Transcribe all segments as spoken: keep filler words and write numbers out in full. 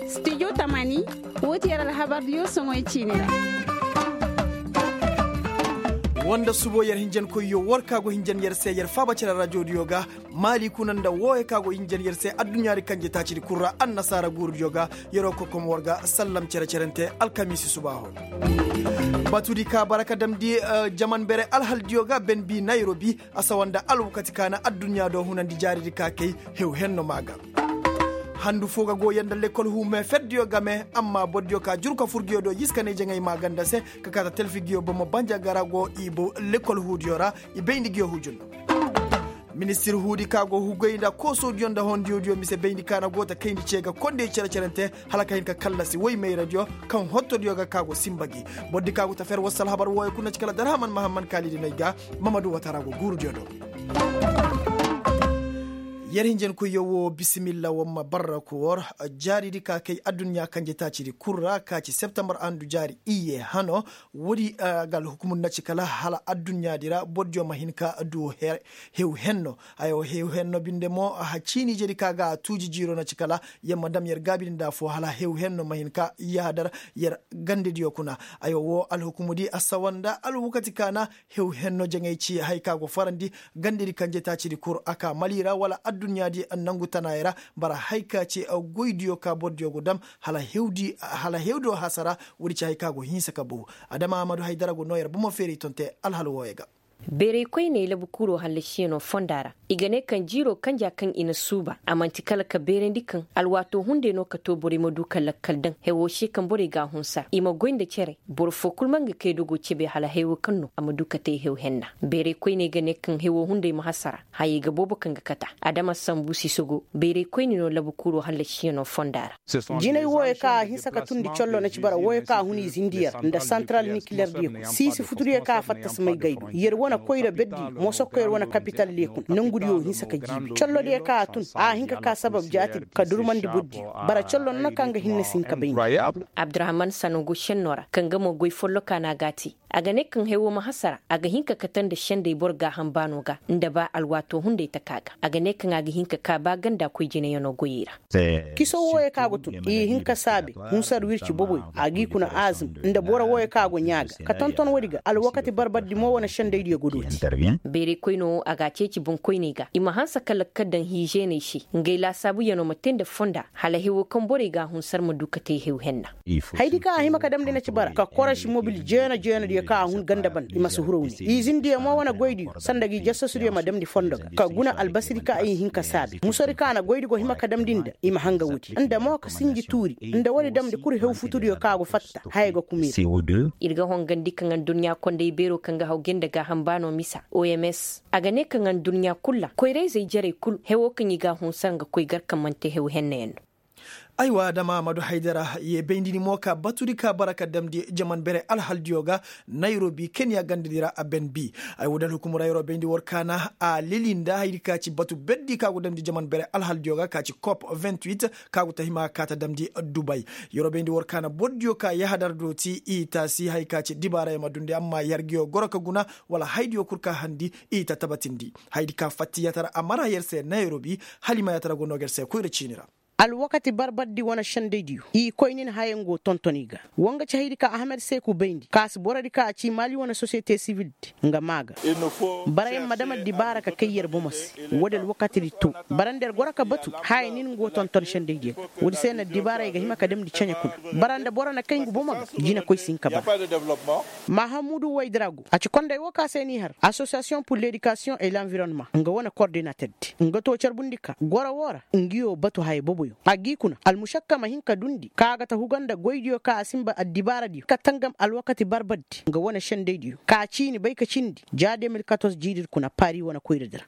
Studio tamani, woo ti yer alhabardiyo soŋoy ciini ra. Woo nda subo yer hinjankoyyo war ka go hinjan yer se yer faaba cere rajodiyo ga, maali kuna nda wooyo ka go hinjan yer se adduɲɲaadi kanje taacidi kul ra annasaara guurudiyo ga. Yeroo kokom war ga sallam cere-cerente alkamiisi subaaho. Batudi ka bara ka damndi jaman bere alhaldiyo ga benbi nayrobi, a sawa nda alwakati ka na adduɲɲa do hunandi jaaridi ka kay hew henno maa ga. Handu foo ga go yer nda lekol huu meeferdiyo game, amma bordiyo ka juru ka fur ngiyo do yiska ne jaŋay maa ganda se, ka kaata telfi ngiyo bomo banja gara go i bo lekol huudiyo ra. I bayndi ngiyo hujunno. Ministir huudi ka go hugay nda koosoodiyo nda hondiyodiyo mise bayndi ka na go ta kayndi ce ga kondey cere-cerente, hala ka hin ka kallasi woy mayradiyo kaŋ hottodiyo ga ka go sinba gi. Bordi ka go ta fer wasu alhabar wooyo kul na ci kala darhaman mahamman kaalidi no ay ga. Mamadu watara go guurudiyo do. Yer hinjankoyyo woo bisimilla war ma barra ku war. Jaaridi ka kay adduɲɲa kanje taacidi kul ra ka ci septembar andu jaari iyye hano. Woodi ga alhukumur na ci kala hala adduɲɲaadi ra bordiyo ma hin ka du hew henno. Aywa hew henno binde mo a ciini jedi ka ga a tuuji jiiro na ci kala yer ma dam yer gaabidi nda afoo hala hew henno ma hin ka yahadar yer gandediyo kuna. Aywa woo alhukumudi a sawa nda alwakati ka na hew henno jaŋay ci haya ka go farandi gandedi kanje taacidi kul a ka mali ra wala adduɲɲaadi nangu tanaayey ra. Bara haya ka ci goydiyo ka bordiyo go dam hala hewdiyo hasara. Woodi ci haya ka go hinsa ka bow. Adama ahmadu haydara go noo yer bomo feeri tonte alhal wooyo ga. Beeray koyney labu kuuroo hallasiyanoo fonda ra i ga ne kaŋ jiiroo kanja kaŋ i na suuba a man'ti kala ka beerandi kaŋ alwaatoo hunday no ka too borey ma du ka lakkal daŋ hewoo se kaŋ borey g'a hunsar i ma goy nda cere. Boro foo kul ma nga kay dogoo cebe hala hewoo kaŋ no a ma du ka tee hew henna. Beeray koyney ga ne kaŋ hewoo hunday ma hasara hayey ga boobo kaŋ ga kata. Adama sambu sisogo beeray koyne no labu kuuroo hallasiyanoo fonda ra. Jinay wooyo kaŋ a hinsa ka tundi collo na ci bara wooyo kaŋ a hun i zindiyo ra nda santaral nikilerdiyo, siisi futudiyo kaŋ a fatta si may gay do yer wane koyra berdiyo moso koyra wane kapitaldiyo kuna nongudiyo hinsa ka jiibi collodiyo kaŋ a tun a hin ka ka sabab jaati ka durmandi bordiyo. Bara collo no na kaŋ ga hinne si hin ka bay nda. Abdurahman sanogo senno ra kaŋ ga mo goy follokaa no a g'a te. A ga ne kaŋ hewo ma hasara a ga hin ka kate nda sendey boro gaaham baano ga nda ba alwaatoo hunday taka ga a ga ne kaŋ a ga hin ka kaa ba ganda koy jinayanoo goyey ra. Kiso wooyo kaŋ a go tun i hin ka saabe hunsar wirci boboyo a g'i kuna aazum nda boro wooyo kaŋ a go ɲaa ga ka tonton woodi ga alwakati barbardi mo wane sendaydiyo go dooti. Beeray koynoo a g'a ceeci boŋkoyney ga i ma hanse ka lakkal daŋ hiizeeney se ngey laasaabuyanoo ma tee nda fonda hala hewo kaŋ borey g'a hunsar ma du ka tee hew henna. Haydi kaŋ a hima ka damndi na ci bara ka korosi mobil jeena jeenadiyo kaŋ a hun ganda banda i ma si huraw ne izindiyo mo wane goydiyo sanda gi jasasudiyo ma damndi fondo ga ka guna albasadi kaŋ i hin ka saabi musodi kaŋ a na goydi go hima ka damndi nda i ma hanga woodi nda mo ka sinji tuuri nda woodi damndi kul hew futudiyo kaŋ a go fatta haya ga kumir. Ir ga hongandi kaŋ adduɲɲa konday beeroo kaŋ ga haw gay nda gaaham baanoo misa oms a ga ne kaŋ adduɲɲa kul ra koyra-izey jarey kul hewoo kaŋ i g'a hunsar nga koy gar kaŋ man'ti hew hennayaŋ no. Aywa adama amadu haydara ye bayndi ni mo ka batudi ka bara ka damndi jaman bere alhaldiyo ga nayrobi kenya gandadi ra a ben bi. Ay woodi alhukumura yeroo bayndi war kaana a leli nda haydi ka ci batu berdi ka go damndi jaman bere alhaldiyo ga ka ci kop vingt-huit ka go ta hima ka ta damndi dubay. Yeroo bayndi war kaana bordiyo ka yahadar dooti i taasi hay ka ci dibaarayo ma dundi amma yer ga yo goro ka guna wala haydiyo kul ka handi i ta tabatindi haydi ka fattiyatara a mara yer se nayrobi. Hala i ma yaatara go noo ga yer se koyra ciini ra. Alwakati barbardi wane sendaydiyo i koy nin haya nga go tonton i ga. Wa nga ci haydi ka ahamed seeku bayndi ka si borodi ka a ci maali wane sosiyete sivildi nga maa ga. Barayaŋ ma dam addibaara ka kay yer bomo se. Woodi alwakatidi to bara nda yer goro ka batu haya nin nga go tonton sendaydiyo ga. Woodi se na addibaarey ga hima ka damndi ceɲe kuna bara nda boro na kay nga bomo ga. Jinakoy si hin ka bara. Mahamudu waydrago a ci konday woo ka se n'i har asosiyasiyoŋ pur ledikasiyoŋ e lanvironma nga wane kordinaterdi nga too carbundi ka goro woo ra. Ngiyo batu haya boboyo a g'i kuna almušakka ma hin ka dundi ka a ga ta huga nda goydiyo ka a sinba addibaaradiyo ka tangam alwakati barbardi nga wane sendaydiyo ka ciini bay ka cindi ja deux mille quatorze jiiridi kuna pari wane koyradi ra.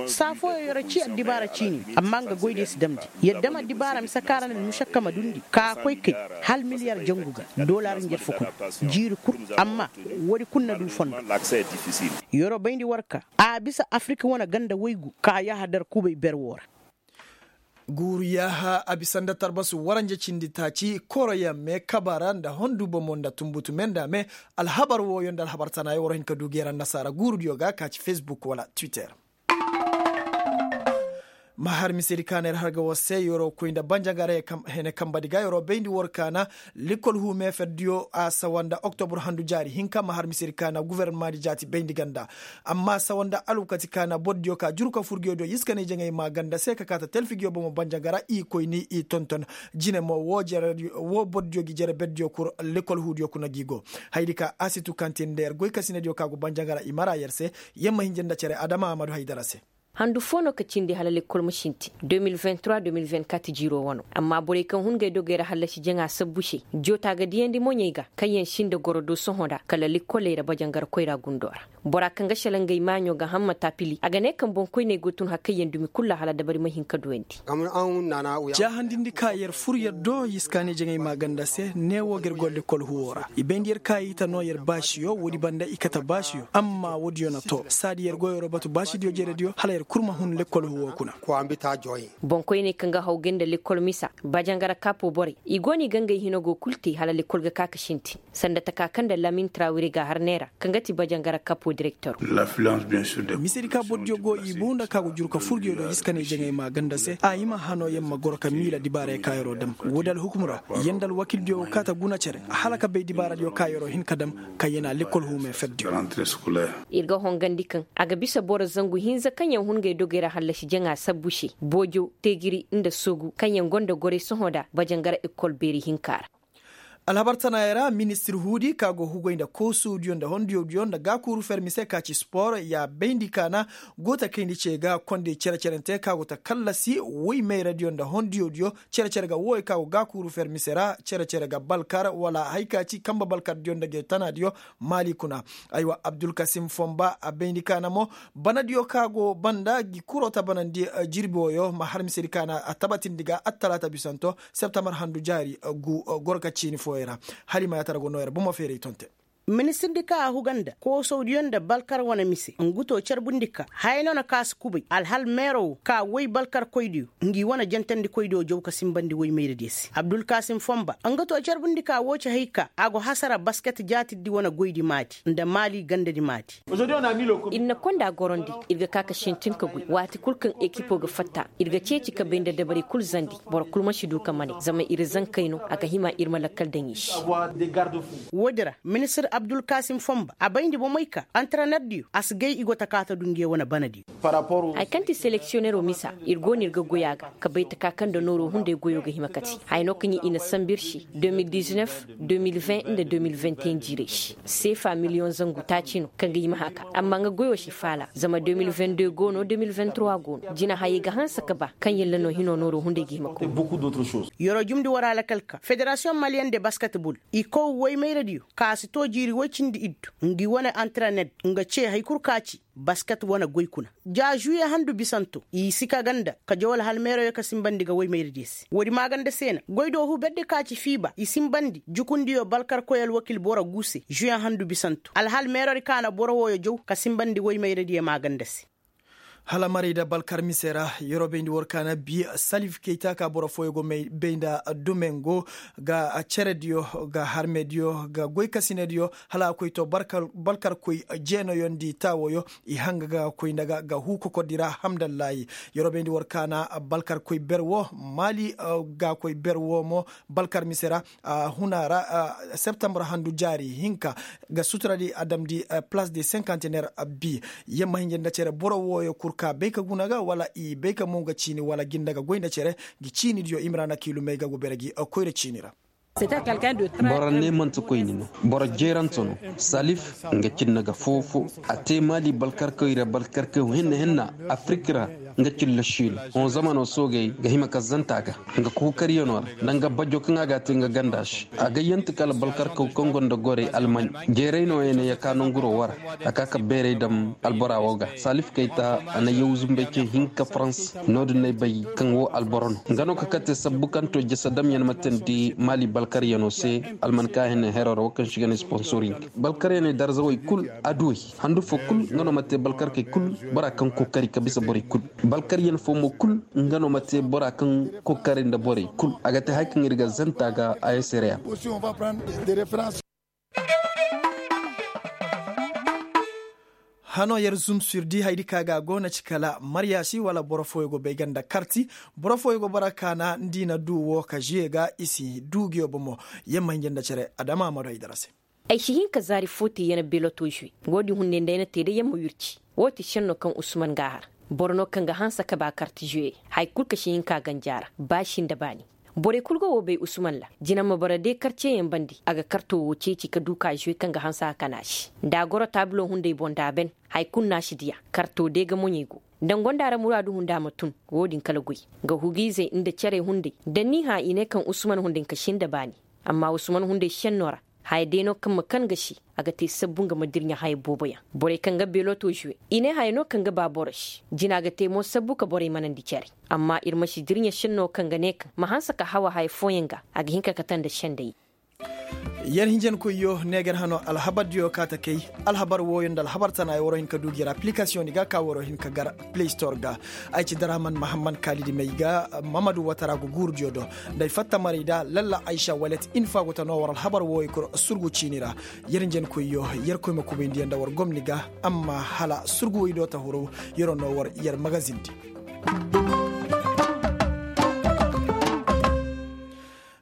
Saa fooyoŋ yer ci addibaara ciini amma nga goydiyo si damndi. Yer dam addibaara mise ka ra na almušakka ma dundi ka a koy kay hala miliyar jangu ga dolar njarfu kuna jiiri kul. Amma woodi kul na du fondo. Yeroo bayndi war ka a bisa afirika wane ganda waygu ka yahadar kubay ber woo ra. Guuru yaaha a bisa nda tarbasu waranja cindi taaci koroyaŋ me kabara nda hondu bomo nda tunbutu me nda me. Alhabar wooyo nda alhabar tanaayo war hin ka du geera annasaara guurudiyo ga ka ci fesbuk wala twitter. Ma har misedi kaana yer har ga war se yeroo koy nda banjagara hene kambadi ga yeroo bayndi war kaana. Lekkol huumee ferdiyo a sawa nda oktobur handu jaari hinka ma har misedi kaana gufornamaadi jaati bayndi ganda. Amma sawa nda alwakati kaana bordiyo ka juru ka furgiyodiyo yiskanay jaŋay maa ganda se ka kaata talfigiyo bomo banjagara i koy ni i tonton. Jine mo woo bordiyo gi jere berdiyo kur lekkol huudiyo kuna gi go. Hayadi ka asitu kantin nda yer goykasinadiyo ka go banjagara i mara yer se. Yer ma hinja nda cere adama amadu haydara se. Handu foo no ka cindi hala lekkol ma sintin de mil vingt trois de mil vingt quatre jiiroo wano. Amma borey kaŋ hun ngey dogey ra hallasi jaŋa sabbu se. Joota ga diyandi moɲey ga kaŋyaŋ sinda goro do sohõ nda kala lekkoley ra bajangar koyra gundoo ra. Bora kaŋ ga selaŋ ngey maaɲo ga hamma taapili a ga ne kaŋ boŋkoyney go tun hakayyaŋ dumi kul ra hala dabari ma hin ka duwandi. Jaahandindi ka yer fur yer do yiskaani jaŋay maaganda se neewoo ga yer go lekkol huwoo ra i bayndi yer ka i ta noo yer baasiyo woodi banda i kate baasiyo amma woodiyo na too saadi yer go yeroo batu baasidiyo jerediyo hala yer kul ma hun lekkol huwoo kuna. Boŋkoyney kaŋ ga haw gay nda lekkol misa bajangara kapo borey i go no i ga ngey hino go kul te hala lekkol ga ka ka sintin. Sanda taka kaŋ nda lamin trawire ga har neera kaŋ ga ti bajangara kapo direktor. Misedi ka bordiyo go i buu nda ka go juru ka furgiyo do iskaney jaŋay ma ganda se a hima hano yer ma goro ka miila dibaarey ka yeroo dam woodi alhukum ra. Yer nda alwakildiyo wo kaata guna cere hala ka bay dibaaradiyo ka yeroo hin ka dam. Kaŋ yer na lekkol huumey ferdiyo. Ir ga hongandi kaŋ a ga bisa boro zangu hinza kaŋ yer hun ngey dogey ra hallasi jaŋa sabbu se boojo teegiri nda soogu kaŋ yer gonda gorey sohõ nda bajangara ekkol beeri hinka ra. Alhabar tanaayey ra ministir huudi ka go hugay nda koosowdiyo nda hondiyowdiyo nda gaakuuru fermise ka ci spor ya bayndi kaana. Go ta kayndi ce ga kondey cere-cerente ka go ta kallasi woy mayradiyo nda hondiyowdiyo cere-cere ga wooyo ka go gaakuuru fermise ra cere-cere ga balkar wala hay ka ci kamba balkardiyo nda ge tanaadiyo. Maali kuna. Aywa abdulkasim fomba a bayndi kaana mo banadiyo ka go banda gi kuroo ta banandi jirbi wooyo ma har misedi kaana a tabatindi ga attalaata bisanto. Septambar handu jaari gu goro ka ciini fooyey ra. Hala i ma yaatara go noo yer bomo feeray tonte. Ministirdi ka a huga nda koosawdiyo nda balkar wane mise ngu to carbundi ka haya no na kaasi kubay alhal meero wo ka woy balkarkoydiyo ngi wane jantandikoydiyo jaw ka sinbandi woy mayradiyo se abdulkasim fomba nga to carbundi ka woo ci hay ka a go hasara basket jaatirdi wane goydi maadi nda maali gandadi maadi. Ir na konda gorondi ir ga ka ka sintin ka goy waati kul kaŋ ekipo ga fatta ir ga ceeci ka bay nda dabarey kul zandi. Boro kul ma si du ka mane zama ir zankey no a ga hima ir ma lakkal daŋ i se. Woodi ra ministir abdulkasim fomba a bayndi bomey ka antarenardiyo a si gay i go ta kaata du nge wane banadiyo. Haya kaŋ ti seleksiyonero misa ir go no ir ga goy a ga ka bay taka kaŋ nda nooro hunday goyo ga hima kate haya no kaŋ i na sambu ir se de mil diznef de mil vingt nda de mil vingt et un jiirey se seefa miliyoŋ zangu taaci no kaŋ ga hima haka amma nga goyo si faala zama de mil vingt deux go no de mil vingt trois go no jina hayey ga hanse ka ba kaŋ yalla no hino nooro hunday ga hima koy. Yeroo jumndi war alakal ka federasiyoŋ maliyeŋ de basketbol i kow woy mayradiyo ka a si too jiiri woy cindi iddu ngi wane antarenet nga ce hay kul ka ci basket wane goy kuna. Ja žuye handu bisanto i si ka ganda ka jaw alhal meeroyo ka sinbandi ga woy mayradiyo se woodi maaganda se na goy do huberdi ka ci fiiba i sinbandi jukundiyo balkarkoy alwakil boro gu se žuye handu bisanto alhal meerodi ka na boro wooyo jaw ka sinbandi woy mayradiyo maaganda se. Hala marayda balkar mise ra yeroo bayndi war kaana bi salif kayta ka boro fooyo go bay nda dumengo ga cerediyo ga harmediyo ga goykasinediyo hala a koy to balkarkoy jeenayondi taawoyo. I hanga ga koy nda ga ga huu kokordi ra hamdallaahi. Yeroo bayndi war kaana balkarkoy ber woo maali ga koy ber woo mo balkar mise ra huna ra septembre handu jaari hinka ga suturadi a damndi place de cinquantenaire. Bi yamma hinja nda cere boro wooyo kul ka bay ka guna ga wala i bay ka mo ga ciini wala ginda ga goy nda cere. Ngi ciinidiyo imrana kiilumey ga go bere gi koyra ciini ra. Boro ne manti koyni no. Boro jeerante no. Salif nga cinna ga foo-foo a te maali balkarkoy ra balkarkoy hinna hinna afirik ra. Nga cilla šiino hõ zamano soogey ga hima ka zanta ga nga kookariyanoo ra nda nga bajo kaŋ a ga a te nga ganda se. A ga yante kala balkarkaw kaŋ gonda gorey almaɲ jeeray nooya ne ya ka nanguroo wara. A ka ka beeray dam albora woo ga salif kayta a na yaw zumbey cey hinka farans. No-din no ay bay kaŋ woo alboro no nga no ka kate sabbu kaŋ to jasa damyaŋ ma teendi maali balkaryanoo se. Alman ka hene heroo ra woo kaŋ se i ga ne sponsoring balkaryaney darzawey kul aduwey handu foo kul nga no ma te balkarkey kul bora kaŋ kookari ka bisa borey kul. Balkaryan foo mo kul nga no ma te bora kaŋ kookari nda borey kul a ga te haya kaŋ ir ga zanta ga a yesere yaŋ. Hano yer zumsir di haydi ka ga go na ci kala maryaasi wala boro fooyo go bay ga nda karti. Boro fooyo go bara kaana nda i na du wo ka žuwe ga i si du nguyo bomo. Yer ma hinja nda cere adama ma du ay dara se. Ay si hin ka zaari fo te yer na beloto žuwe. Wo- din hunday nda ay na te day yer ma wirci. Wo- te šenno kaŋ usman ga a har. Boro no kaŋ ga hanse ka ba karti žuwe. Haya kul ka si hin ka ganji a ra ba si nda baani. Borey kul go wo bay usman ra. Jina ma bara de karceyaŋ bande a ga karto wo ceeci ka du ka žuwe kaŋ ga hanse a kana se. Nda a goro taabulo hunday boŋ nda a ben. Haya kul no a si diya. Karto de ga moɲey go. Nda ni gonda ra muraadu hunda ma tun. Wo- din kala goy. Ga hugiizey nda cerey hunday da ni hã i ne kaŋ usman hunday ka si nda baani. Amma usman hunday senno ra. Haya day no kaŋ ma kan ga si. A ga te sabbu nga ma dirɲa haya booboyaŋ. Borey kaŋ ga beloto žuwe i ne haya no kaŋ ga ba boro se. Jina ga te mo sabbu ka borey manandi care. Amma ir ma si dirɲa senno kaŋ ga ne kaŋ ma hanse ka hawa haya fooyaŋ ga. A ga hin ka kate nda sendey. Yer hinjankoyyo neegar hano alhabardiyo ka ta kay. Alhabar wooyo nda alhabar tana ay war hin ka du gi ra aplikasiyoŋ di ga ka war hin ka gar play store ga. Ay ci daraman mahamman kaalidi may ga. Mamadu watara go guurudiyo do. Nda ay fatta maray da lalla aysa walet infa go ta no war alhabar wooyo kul surgu ciini ra. Yer hinjankoyyo yer koy ma kubayndi yer nda war gomni ga. Amma hala surgu way do ta huru. Yer no war yer magazin di.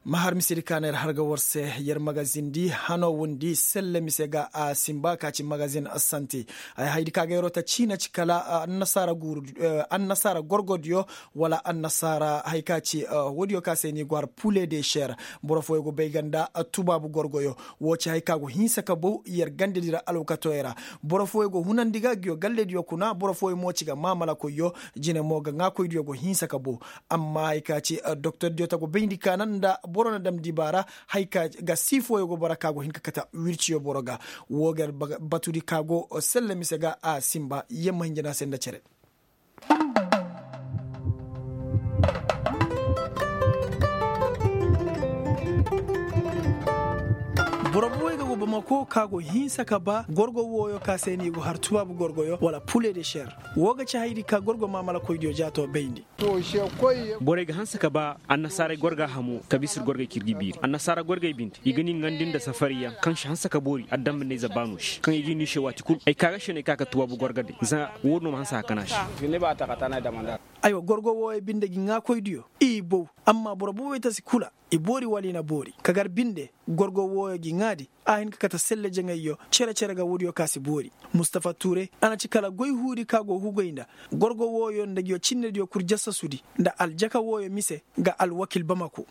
Ma har mise di ka na yer har ga war se. Yer magazin di hano windi selle mise ga a simba ka ci magazin sante. Ay hay di ka ga yeroo ta ciina ci kala annasaara guuru annasaara gorgodiyo. Wala annasaara hay ka ci woodiyo ka se ni go har pule de ser. Boro fooyo go bay ga nda tubaabu gorgoyo. Woo ci hay ka go hinsa ka bow yer gandedi ra alwakatoyo ra. Boro fooyo go hunandi ga nguyo gallediyo kuna boro fooyo mo ci ga maamalakoyyo. Jine mo ga ŋaakoydiyo go hinsa ka bow. Amma hay ka ci doktordiyo ta go bayndi ka na nda boro na dam dibaara. Hay ka ga sii fooyo go bara ka go hin ka kate wirciyo boro ga. Woo ga yer batudi ka go selle mise ga a sinba yer ma hinja no a se nda cere. Boro booboy ga go bamako ka go hinsa ka ba gorgo wooyo ka se no i go har tubaabu gorgoyo wala pule de ser. Woo ga ci haydi ka gorgo maamalakoydiyo jaato bayndi. Borey ga hanse ka ba annasaaray gorga hamo ka bisa ir gorgey kaŋ ir ga i biiri annasaara gorgey binde i ga ni ŋandi nda safariyaŋ kaŋ si hanse ka boori adambaney za baano se kaŋ i ga i niise waati kul ay ka ga se no ay ka ka tuwaabu gorga day za woo din no ma hanse a kana se. Aywa gorgo wooyo binde ga i ŋaakoydiyo i bow. Amma boro boobey ta si kula i boori wala i na boori ka gar binde. Gorgo wooyo ga i ŋaadi a hin ka kate selle jaŋayyo cere-cere ga woodiyo ka si boori. Mustafa tuure a na ci kala goy huudi ka go hugoy nda gorgo wooyo nda nguyo cinnediyo kul jasasudi nda aljaka wooyo mise ga alwakil bamako.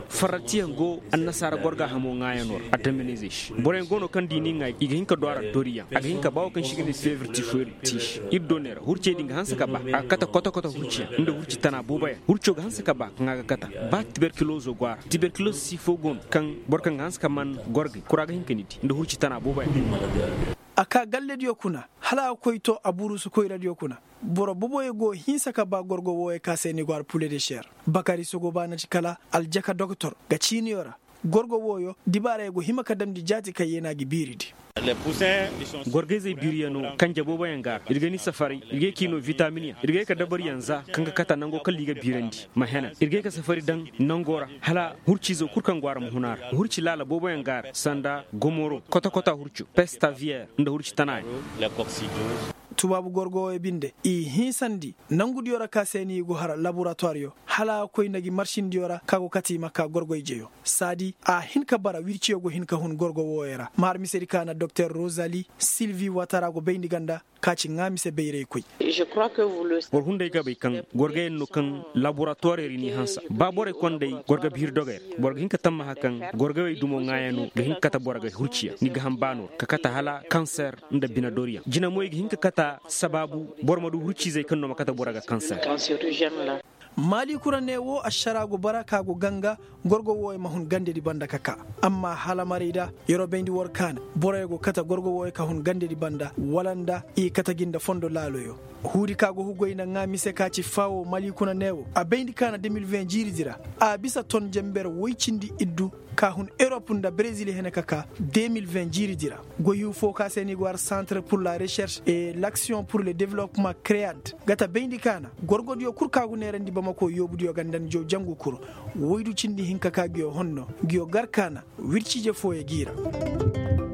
Farratiyaŋ go annasaara gorga hamo ŋaayanoo ra addaminizey se boroyaŋ go no kaŋ da i n'i ŋaay i ga hin ka du a ra doriyaŋ a ga hin ka ba wo kaŋ se i ga ne feebar tifoyir ti se ir do ne ra hurcey din ga hanse ka ba a ga kate koto-koto hurciyaŋ nda hurci tana booboyaŋ hurco ga hanse ka ba kaŋ a ga kate. Ba tiberkilozo go a ra tiberkilozo siifo go no kaŋ boro kaŋ ga hanse ka man gorgey kura ga hin ka ni di nda hurci tana booboyaŋ. A ka gallediyo kuna hala a ga koy to a burusu koyradiyo kuna. Boro boboyo go hinsa ka ba gorgo wooyo ka se ni go har pule de ser. Bakari sogoba na ci kala aljaka doktor ga ciiniyo ra. Gorgo wooyo dibaarayo go hima ka damndi jaati kaŋ yeenaa ga biiridi. Gorgayzey biiriyanoo kanje booboyaŋ ga a ra ir ga ni safari ir ga ye ka i noo witaminyaŋ ir ga ye ka dabaryaŋ za kaŋ ga kata nangoo kala i ga biirandi ma henan ir ga ye ka safari daŋ nangoo ra. Hala hurciizoo kul kaŋ go a ra ma hun a ra hurci laala booboyaŋ ga a ra sanda gomoro koto-koto hurco pestaviyer nda hurci tanayaŋ. Tubaabu gorgo wooyo binde i hinsandi nangudiyo ra ka se no i go har laboratuwaryo hala a ga koy nda gi marsindiyo ra ka go kate i ma ka gorgo ijeyo. Saadi a hin ka bara wirciyo go hin ka hun gorgo wooyo ra ma har misedi ka na doktor rozali silvi watara go bayndi ganda ka ci ŋaa mise bayraykoy. War hunday ga bay kaŋ gorgoyaŋ no kaŋ laboratuwarey ra i n'i hanse ba borey konday gorgo biiri dogey ra boro ga hin ka tammaha kaŋ gorgoyey dumo ŋaayano ga hin ka kate boro ga hurciyaŋ ni ga ham baano ra ka kate hala kanser nda binadoriyaŋ jina mo i ga hin ka kate sabaabu boro ma du hurciizey kaŋ no ma kate boro ga kanser. Maali kura ne wo ašara go bara ka go ganga gorgo wooyo ma hun gandedi banda ka ka. Amma hala maray da yeroo bayndi war kaana boroyo go kate gorgo wooyo ka hun gandedi banda wala nda i kate gi nda fondo laaloyo. Huudi ka go hugoy nda ŋaa mise ka ci faawo malikuna ne wo a bayndi kaana deux mille vingt jiiridi ra a bisa ton jenber woy cindi iddu ka hun erop nda brezil hene ka ka deux mille vingt jiiridi ra. Goyhu fo ka se ni go har centre pour la recherche et l'action pour le développement cread ga ta bayndi kaana gorgodiyo kul ka go neerandi bamako yoobudiyo ga nda ni jaw jangu kul woydu cindi hinka ka nguyo honno nguyo gar kaana wirciije fooyo g'i ra.